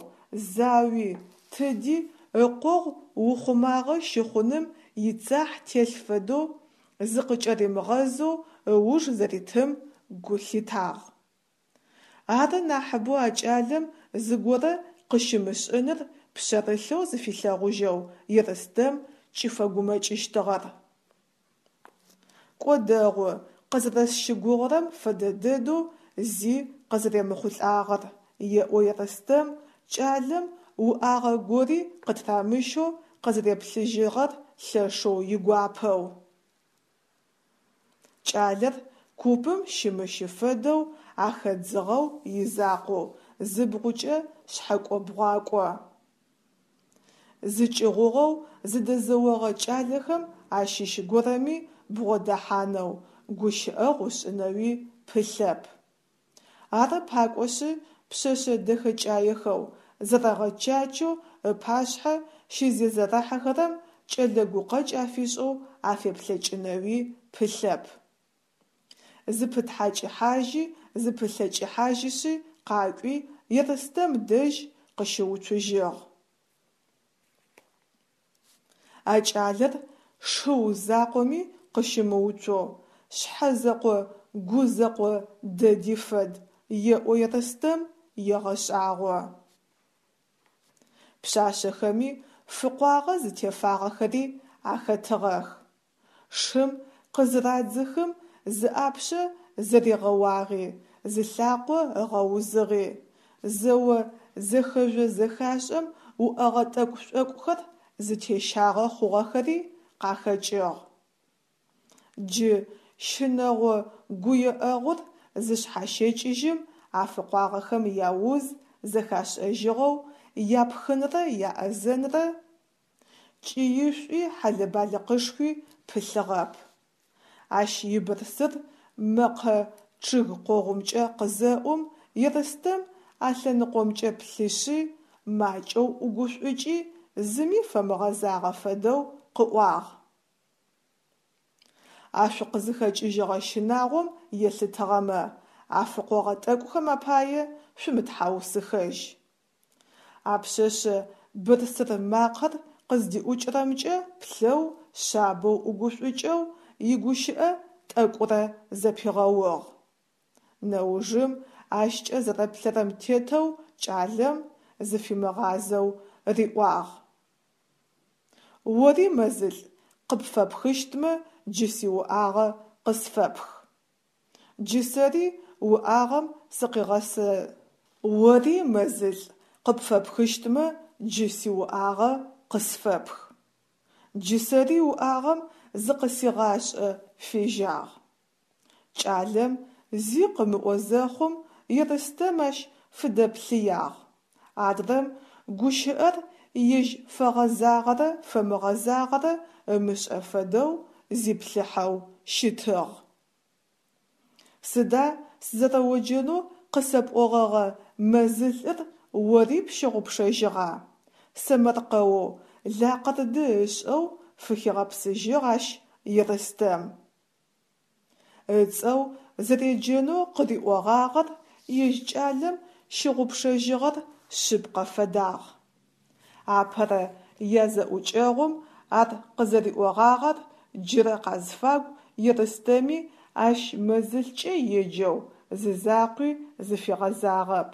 зауи, тыди ыкъогъу ухъумагъэ щыхъуным ицахь телъ фэдэу зыкъыкӏэримыгъэзэу ыуж зэритым гу лъитагъ. Ары нахьыбэу а кӏалэм зыгорэ къыщымышӏыныр пшъэрылъэу зыфилъэгъужьэу Ерстэм кӏыфэгумэкӏыщтыгъэр. Кӏо дэгъу, къызэрэсщыгугъырэм фэдэ дэдэу зи къызэремыхъулӏагъэр, еӏо Ерстэм, кӏалэм уӏагъэ гори къытырамыщэу къызэреплъыжьыгъэр лъэшэу игуапэу. Кӏалэр купым щымыщы фэдэу ахэдзыгъэу изакъоу зыбгъукӏэ шъхьэкӏо-бгъуакӏо. Зыкӏыгъугъэу зыдэзэогъэ кӏалэхэм ащыщ горэми бгъодэхьанэу, гущыӏэгъу ышӏынэуи пылъэп. Ары пакӏошъы пшъэшъэ дэхэкӏаехэу, зэрэгъэчачэу ыпашъхьэ щызезэрэхьэхэрэм кӏэлэ гукъэкӏ афишӏэу афеплъэкӏынэуи пылъэп. Зыпытхьакӏыхьажьи зыпылъэкӏыхьажьышъи къакӏуи Ерстэм дэжь къыщыуцужьыгъ. А кӏалэр шыу закъоми къыщымыуцоу, шъхьэ зэкъо гу зэкъо дэди фэд, еӏо Ерстэм, егъэшӏагъо. Пшъашъэхэми фыкъуагъэ зытефагъэхэри ахэтыгъэх. Шым къызырадзыхым зыӏапшъэ зэригъэуагъи, зылъакъо ыгъэузыгъи, зэо зэхэжъо-зэхашӏэм уӏэгъэ тӏэкӏу-шӏокӏухэр зытещагъэ хъугъэхэри къахэкӏыгъ. Джы щынэгъо гуеӏэгъур зышъхьащэкӏыжьым афыкъуагъэхэм яуз зэхашӏэжьыгъэу, япхынрэ яӏэзэнрэ кӏыишӏуи хьэлэ-балыкъышхуи пылъыгъэп. Ащ ибырсыр мэкъэ чъыг къогъумкӏэ къызэӏум, Ерстэм а лъэныкъомкӏэ плъышъи, макӏэу ӏугушӏукӏи, зыми фэмыгъэзагъэ фэдэу къыӏуагъ. А шъукъызыхэкӏыжьыгъэ щынагъом елъытыгъэмэ, а фыкъогъэ тӏэкӏухэм апае шъумытхьаусыхэжь. А пшъэшъэ бырсыр макъэр къыздиӏукӏырэмкӏэ плъэу, шъабэу ӏугушӏукӏэу, игущыӏэ тӏэкӏурэ зэпигъэугъ. Нэужым ащкӏэ зэрэплъэрэм тетэу кӏалэм зыфимыгъазэу риӏуагъ. Ори, мэзылӏ, къыпфэпхыщтмэ, джы сиуӏагъэ къысфэпх. Джы сэри уӏагъэм сыкъигъэсы. Ори, мэзылӏ, къыпфэпхыщтмэ, джы сиуӏагъэ къысфэпх. Джы сэри уӏагъэм зыкъысигъашӏэ фежьагъ. Кӏалэм зи къымыӏо зэхъум, Ерстэм ащ фыдэплъыягъ. Адрэм гущыӏэр ежь фэгъэзагъэрэ фэмыгъэзагъэрэ ымышӏэ фэдэу зиплъыхьэу щытыгъ. Сыда сызэрэоджэнэу къысэпӏогъэгъэ мэзылӏыр ори пщыгъупшэжьыгъа? сэмэркъэоу, лакъырды ышӏэу фыхигъэпсыжьыгъ ащ Ерстэм. Ыцӏэу зэреджэнэу къыриӏогъагъэр ежь кӏалэм щыгъупшэжьыгъэр шъыпкъэ фэдагъ. Апэрэ язэӏукӏэгъум ар къызэриӏогъагъэр джырэ къазфагу Ерстэми ащ мэзылӏкӏэ еджэу зызакъуи зыфигъэзагъэп.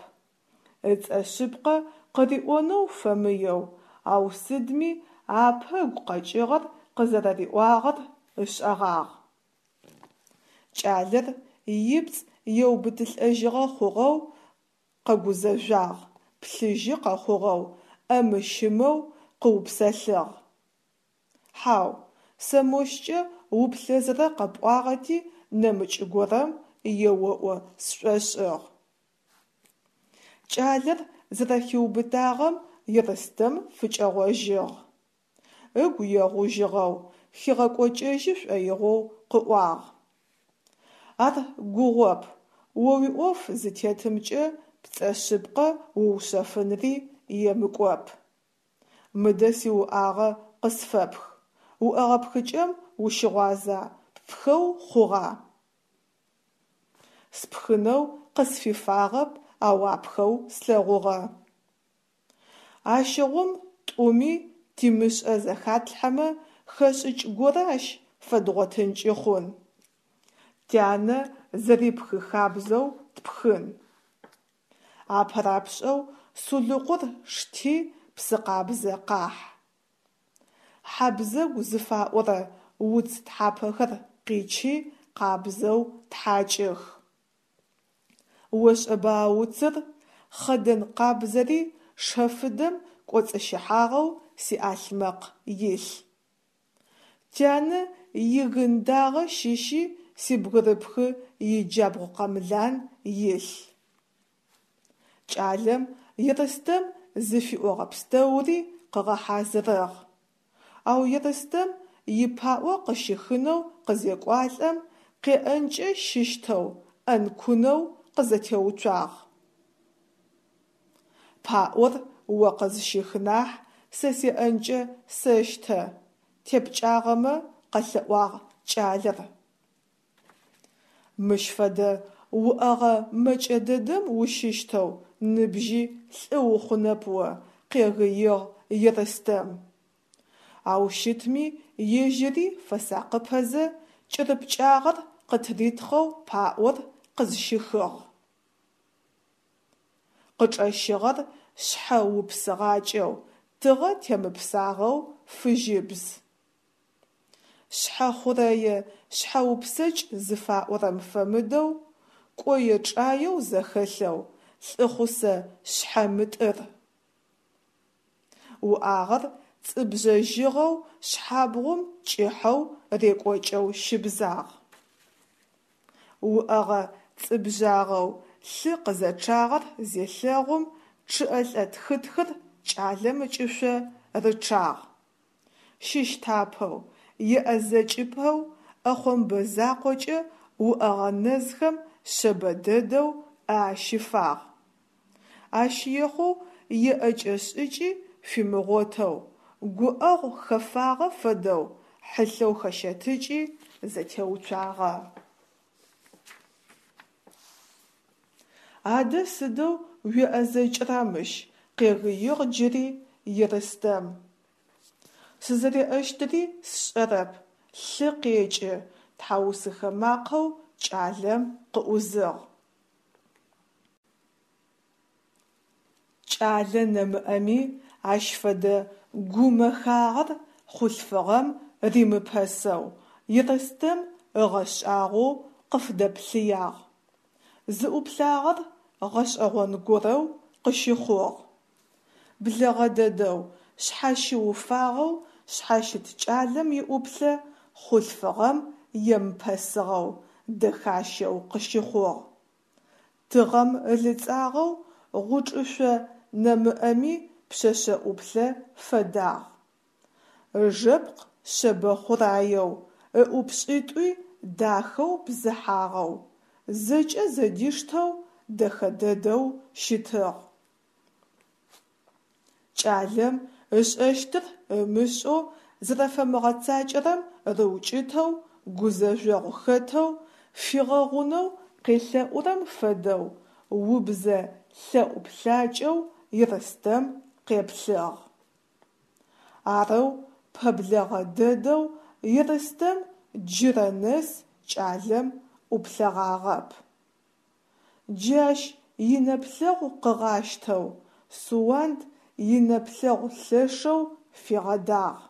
Ыцӏэ шъыпкъэ къыриӏонэу фэмыеу, ау сыдми апэ ыгу къэкӏыгъэр къызэрэриӏуагъэр ышӏэгъагъ. Кӏалэр ипцӏ еубытылӏэжьыгъэ хъугъэу къэгузэжъуагъ, плъыжьы къэхъугъэу, ӏэмы-щымэу къыупсэлъыгъ. Хьау, сэ мощкӏэ уплъэзэрэ къэпӏуагъэти, нэмыкӏ горэм еоӏо сшӏошӏыгъ. Кӏалэр зэрэхиубытагъэм Ерстэм фыкӏэгъожьыгъ. Ыгу егъужьыгъэу, хигъэкӏокӏэжьы шӏоигъоу къыӏуагъ. Ар гугъоп, о уиӏоф зытетымкӏэ пцӏэ шъыпкъэ уушъэфынри емыкӏоп. Мыдэ сиуӏагъэ къысфэпх. Уӏэгъэ пхыкӏэм ущыгъуаза, ппхэу хъугъа? Спхынэу къысфифагъэп, ау апхэу слъэгъугъэ. Ащыгъум тӏуми тимышӏэ зэхатлъхьэмэ, хэшӏыкӏ горэ ащ фэдгъотынкӏи хъун. Тянэ зэрипхы хабзэу тпхын. Апэрапшӏэу сулыкъур шти, псы къабзэ къахь. Хьабзэгу зыфаӏорэ уц тхьапэхэр къичи, къабзэу тхьакӏых. Ошӏэба а уцыр, хъэдэн къабзэри шэфыдэм кӏоцӏыщыхьагъэу сиӏалъмэкъ илъ. Тянэ игын дагъэ щыщи сибгырыпхы иджабгъу къэмлан илъ. Кӏалэм Ерстэм зыфиӏогъэ пстэури къыгъэхьазырыгъ. Ау Ерстэм ипаӏо къыщихынэу къызекӏуалӏэм, къеӏэнкӏэ щыщтэу, ӏэнкунэу къызэтеуцуагъ. Паӏор о къызщых нахь, сэ сеӏэнкӏэ сэщтэ, тепкӏагъэмэ, къэлъэӏуагъ кӏалэр. Мыщ фэдэ уӏэгъэ мэкӏэ дэдэм ущыщтэу ныбжьи лӏы ухъунэп о, къегыигъ Ерстэм. Ау щытми ежьыри фэсакъыпэзэ, кӏырыпкӏагъэр къытыритхъэу паӏор къызщихыгъ. Къычӏэщыгъэр шъхьэ упсыгъакӏэу, тыгъэ темыпсагъэу фыжьыбз. Шъхьэ хъурэе шъхьэупсэкӏ зыфаӏорэм фэмыдэу, кӏое-чӏаеу зэхэлъэу, лӏыхъусэ шъхьэ мытӏыр. Уӏагъэр цӏыбжъэжьыгъэу шъхьабгъум кӏыхьэу рекӏокӏэу щыбзагъ. Уӏэгъэ цӏыбжъагъэу лъы къызэчъагъэр зелъэгъум, чъыӏэлӏэ тхытхыр кӏалэм ыкӏышъо рычъагъ. Щыщтапэу, еӏэзэкӏыпэу ӏэхъомбэ закъокӏэ уӏэгъэ нэзхэм шъэбэ дэдэу ӏэ ащифагъ. Ащ ехъоу еӏэкӏэ шӏыкӏи фимыгъотэу, гуӏэгъу хэфагъэ фэдэу хьылъэу хэщэтыкӏи, зэтеуцуагъэ. Адэ сыдэу уеӏэзэкӏыра мыщ, къегыигъ джыри Ерстэм. Сызэреӏэщтыри сшӏэрэп, лъы къекӏы, тхьаусыхэ макъэу кӏалэм къыӏузыгъ. Кӏалэ нэмыӏэми ащ фэдэ гумэхагъэр хъулъфыгъэм римыпэсэу Ерстэм ыгъэшӏагъоу къыфыдэплъыягъ. Зыӏуплъагъэр гъэшӏэгъон горэу къыщыхъугъ. Блэгъэ дэдэу, шъхьащыуфагъэу шъхьащыт кӏалэм иӏуплъэ хъулъфыгъэм емыпэсыгъэу, дэхащэу къыщыхъугъ. Тыгъэм ылыцӏагъэу гъучӏышъо нэмыӏэми пшъэшъэ ӏуплъэ фэдагъ. Ыжэпкъ шъэбэ хъураеу, ыӏупшӏитӏуи дахэу бзыхьагъэу, зэкӏэ зэдиштэу дэхэ дэдэу щытыгъ. Кӏалэм ышӏэщтыр ымышӏэу зэрэфэмыгъэцакӏэрэм рыукӏытэу, гузэжъогъу хэтэу, фигъэгъунэу къелъэӏурэм фэдэу убзэ лъэӏу плъакӏэу Ерстэм къеплъыгъ. Арэу пэблэгъэ дэдэу Ерстэм джырэ нэс кӏалэм ӏуплъэгъагъэп. Джы ащ инэплъэгъу къыгъащтэу Суанд инэплъэгъу лъэшэу фигъэдагъ.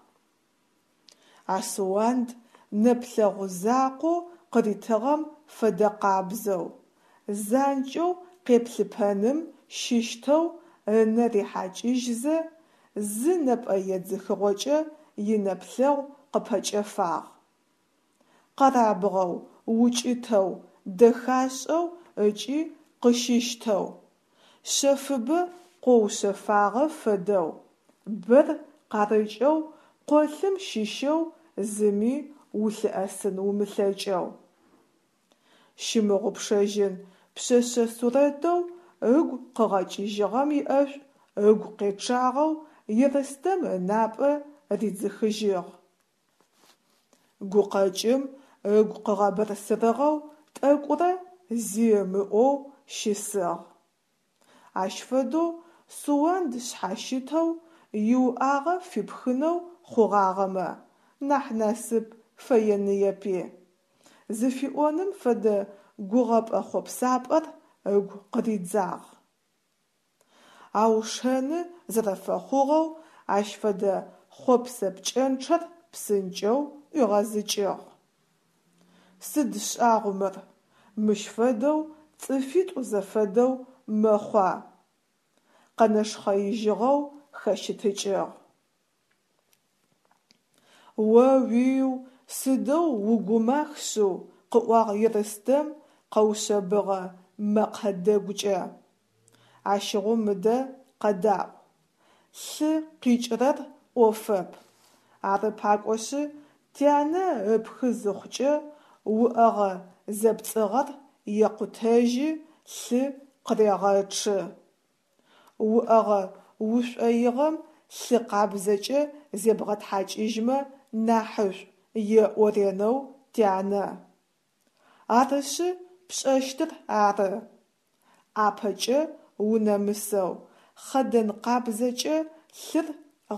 А Суанд нэплъэгъу закъоу къыритыгъэм фэдэкъабзэу, занкӏэу къеплъыпэным щыщтэу ынэ рихьакӏыжьзэ, зы нэпӏэ едзыхыгъокӏэ инэплъэгъу къыпэкӏэфагъ. Къэрабгъэу, укӏытэу, дэхашӏэу ыкӏи къыщыщтэу, шъэфыбэ къоушъэфагъэ фэдэу, бэр къарыкӏэу къолъым щыщэу зыми улъыӏэсын умылъэкӏэу. Щымыгъупшэжьын пшъэшъэ сурэтэу ыгу къыгъэкӏыжьыгъэм иӏэшӏу ыгу къечъагъэу Ерстэм ынапӏэ ридзыхыжьыгъ. Гукъэкӏым ыгу къыгъэбырсырыгъэу тӏэкӏурэ зи ымыӏоу щысыгъ. Ащ фэдэу Суанд шъхьащытэу иуӏагъэ фипхынэу хъугъагъэмэ, нахь насып фэеныепи. Зыфиӏоным фэдэ гугъэпӏэ-хъопсапӏэр ыгу къыридзагъ. Ау шэны зэрэфэхъугъэу ащ фэдэ хъопсэ пкӏэнчъэр псынкӏэу ӏуигъэзыкӏыгъ. Сыд шӏагъу мыр, мыщ фэдэу цӏыфитӏу зэфэдэу мэхъуа? Къэнэшхъэижьыгъэу хэщытыкӏыгъ. О-уиу, сыдэу угумах шъыу, къыӏуагъ Ерстэм къэушъэбыгъэ мэкъэ дэгукӏэ. Ащыгъум мыдэ къэдаӏу. Лъы къикӏырэр ӏофэп. Ары пакӏошъы, тянэ ыпхы зыхъукӏэ, уӏэгъэ зэпцӏыгъэр екъутэжьы, лъы къырегъэчъы. Уӏэгъэ ушӏоигъэм лъы къабзэкӏэ зебгъэтхьакӏыжьмэ нахьышӏу, еӏо ренэу тянэ. Арышъы, пшӏэщтыр ары. ӏапэкӏэ унэмысэу, хъэдэн къабзэкӏэ лъыр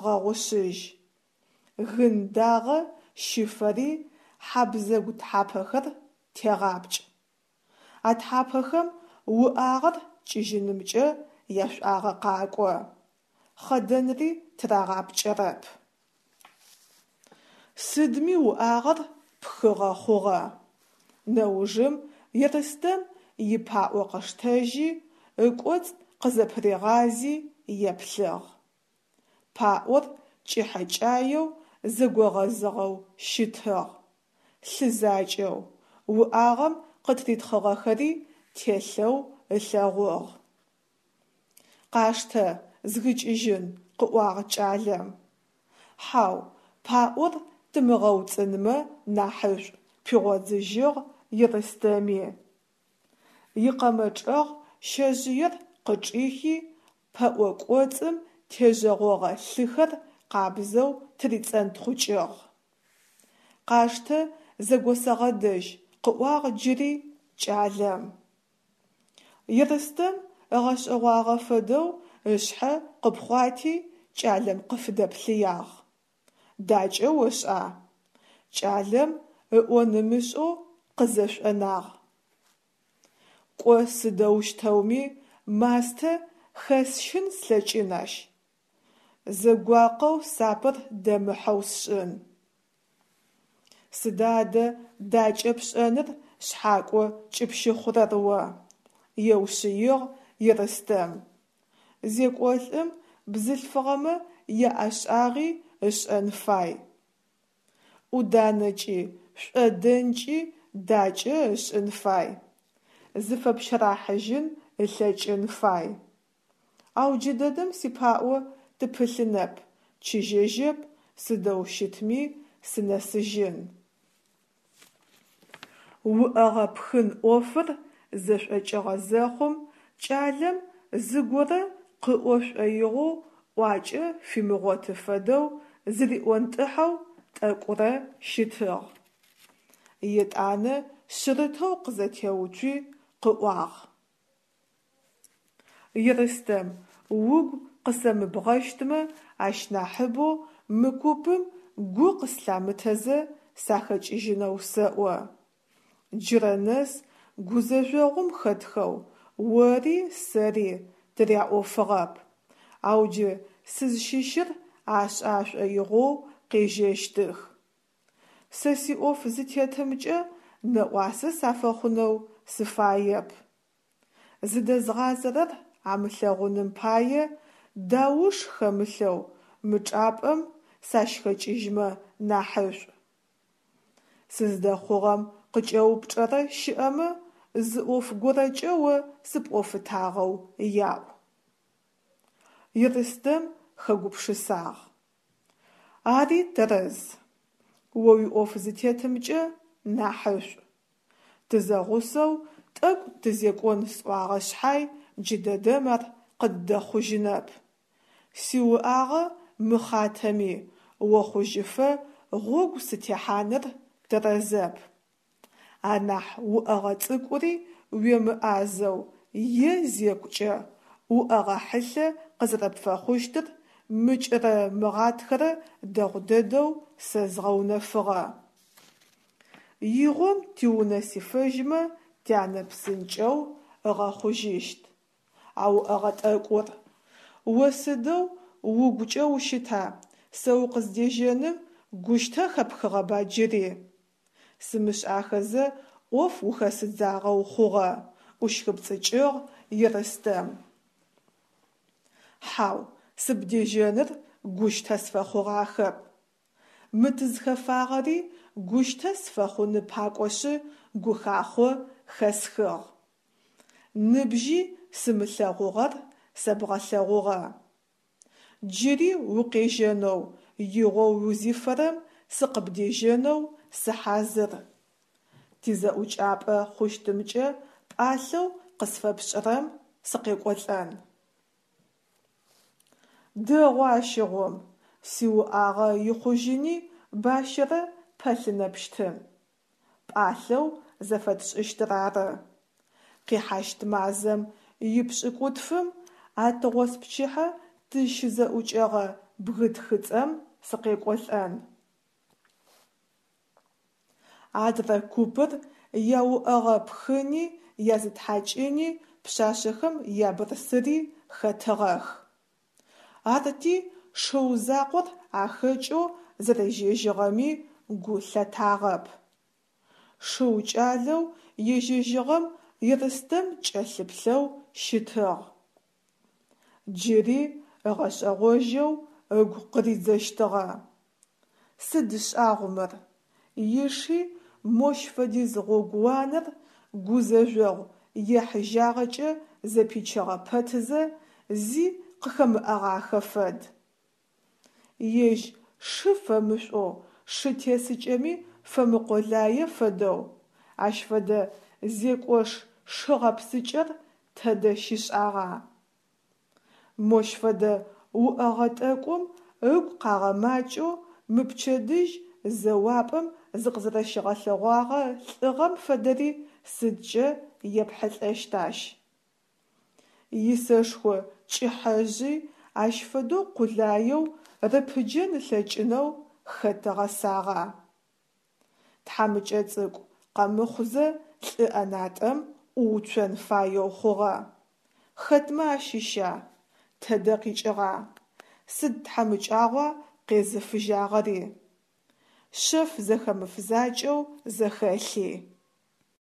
гъэгъушъыжь. Гын дагъэ щыфэри хьабзэгу тхьапэхэр тегъапкӏ. А тхьапэхэм уӏагъэр кӏыжьынымкӏэ яшӏуагъэ къакӏо. Хъэдэнри тырагъапкӏэрэп. Сыдми уӏагъэр пхыгъэ хъугъэ. Нэужым Ерстэм ипаӏо къыштэжьи, ыкӏоцӏ къызэпыригъази еплъыгъ. Паӏор кӏыхьэкӏаеу зэгогъэзыгъэу щытыгъ, лъы закӏэу, уӏагъэм къытыритхъыгъэхэри телъэу ылъэгъугъ. Къаштэ, згыкӏыжьын, къыӏуагъ кӏалэм. Хьау, паӏор тымыгъэуцӏынмэ нахьышӏу, пигъодзыжьыгъ Ерстэми. Икъэмэ чӏэгъ щэжъыер къычӏихи, пэӏо кӏоцӏым тежъэгъогъэ лъыхэр къабзэу тырицӏэнтхъукӏыгъ. Къаштэ, зэгосэгъэдэжь, къыӏуагъ джыри кӏалэм. Ерстэм ыгъэшӏэгъуагъэ фэдэу ышъхьэ къыпхъуати, кӏалэм къыфыдэплъыягъ. Дакӏэ ошӏа? Кӏалэм ыӏон ымышӏэу къызэшӏонагъ. Кӏо сыдэущтэуми мастэ Хэсщын слъэкӏын ащ, зэгуакъэу сапэр дэмыхьэу сшӏын. Сыда адэ дакӏэ пшӏэныр шъхьакӏо кӏыпщыхъурэр о? – еушъыигъ Ерстэм. Зекӏолӏым бзылъфыгъэмэ яӏэшӏагъи ышӏэн фай. ӏуданэкӏи, шӏодэнкӏи дакӏэ ышӏын фай, зыфэпщэрыхьажьын ылъэкӏын фай. Ау джыдэдэм сипаӏо тыпылъынэп, чыжьэжьэп, сыдэу щытми сынэсыжьын. Уӏэгъэ пхын ӏофыр зэшӏокӏыгъэ зэхъум, кӏалэм зыгорэ къыӏо шӏоигъоу ӏуакӏэ фимыгъоты фэдэу зыриӏонтӏыхьэу тӏэкӏурэ щытыгъ. Етӏанэ шъырытэу къызэтеуцуи къыӏуагъ. Ерстэм, угу къысэмыбгъэщтмэ, ащ нахьыбэу мы купым гу къыслъамытэзэ сахэкӏыжьынэу сэӏо. Джырэ нэс гузэжъогъум хэтхэу ори сэри тыряӏофыгъэп, ау джы сызщыщыр ашӏэ ашӏоигъоу къежьэщтых. Сэ сиӏоф зытетымкӏэ нэӏуасэ сафэхъунэу сыфаеп. Зыдэзгъазэрэр амылъэгъуным пае дауш хэмылъэу мы чӏыпӏэм сащхэкӏыжьмэ нахьышӏу. Сыздэхъугъэм къыкӏэупчӏэрэ щыӏэмэ, зы ӏоф горэкӏэ о сыпӏофытагъэу яӏу. Ерстэм хэгупшысагъ. Ари тэрэз. О уиӏоф зытетымкӏэ нахьышӏу. Тызэгъусэу тӏэкӏу тызекӏон сӏуагъэ шъхьай, джыдэдэм ар къыддэхъужьынэп. Сиуӏагъэ мыхъатэми, охъужьыфэ гъогу сытехьаныр тэрэзэп. Анахь уӏэгъэ цӏыкӏури уемыӏазэу е зекӏукӏэ, уӏэгъэ хьылъэ къызэрэпфэхъущтыр мыкӏырэ мыгъатхэрэ дэгъу дэдэу сэ згъэунэфыгъэ. Игъом тиунэ сифэжьмэ, тянэ псынкӏэу ыгъэхъужьыщт. А уӏэгъэ тӏэкӏур? О сыдэу угукӏэ ущыта, сэ укъыздежьэным гущтэ хэпхыгъэба джыри? Сымышӏахэзэ ӏоф ухэсыдзагъэу хъугъэ, ӏущхыпцӏыкӏыгъ Ерстэм. Хьау, сыбдежьэныр гущтэ сфэхъугъахэп. Мы тызхэфагъэри гущтэ сфэхъуны пакӏошъы гухахъо хэсхыгъ. Ныбжьи сымылъэгъугъэр сэбгъэлъэгъугъэ. Джыри укъежьэнэу игъо узифэрэм сыкъыбдежьэнэу сыхьазыр. Тизэӏукӏапӏэ хъущтымкӏэ пӏалъэу къысфэпшӏырэм сыкъекӏолӏэн. Дэгъу ащыгъум, сиуӏагъэ ихъужьыни бащэрэ пэлъынэпщтын. Пӏалъэу зэфэтшӏыщтыр ары. Къихьащт мазэм ипшӏыкӏутфым а тыгъоспчыхьэ тызщызэӏукӏэгъэ бгы тхыцӏэм сыкъекӏолӏэн. Адрэ купыр яуӏэгъэ пхыни язытхьакӏыни пшъашъэхэм ябырсыри хэтыгъэх. Арти шыу закъор ахэкӏэу зэрежьэжьыгъэми гу лъатагъэп. Шыу кӏалэу ежьэжьыгъэм Ерстэм кӏэлъыплъэу щытыгъ. Джыри ыгъэшӏэгъожьэу ыгу къыридзэщтыгъэ: Сыд шӏагъу мыр, иши мощ фэдиз гъогууанэр гузэжъогъу ехьыжьагъэкӏэ зэпичыгъэ пэтызэ, зи къыхэмыӏэгъахэ фэд. Ежь шы фэмышӏоу, шы тесыкӏэми фэмыкъолае фэдэу, ащ фэдэ зекӏош шы гъэпсыкӏэр тэдэ щишӏагъа? Мощ фэдэ уӏэгъэ тӏэкӏум ыгу къагъэмакӏэу мы пчэдыжь зэуапӏэм зыкъызэрэщигъэлъэгъуагъэ лӏыгъэм фэдэри сыдкӏэ епхьылӏэщт ащ? Исэшхо кӏыхьэжъи ащ фэдэу къулаеу рыпыджэн ылъэкӏынэу хэт ыгъэсагъа? Тхьамыкӏэ цӏыкӏу къэмыхъузэ лӏы ӏэнатӏэм ӏууцон фаеу хъугъэ. Хэтмэ ащыща? Тэдэ къикӏыгъа? Сыд тхьамыкӏагъуа къезыфыжьагъэри? Шъэф зэхэмыф закӏэу зэхэлъи.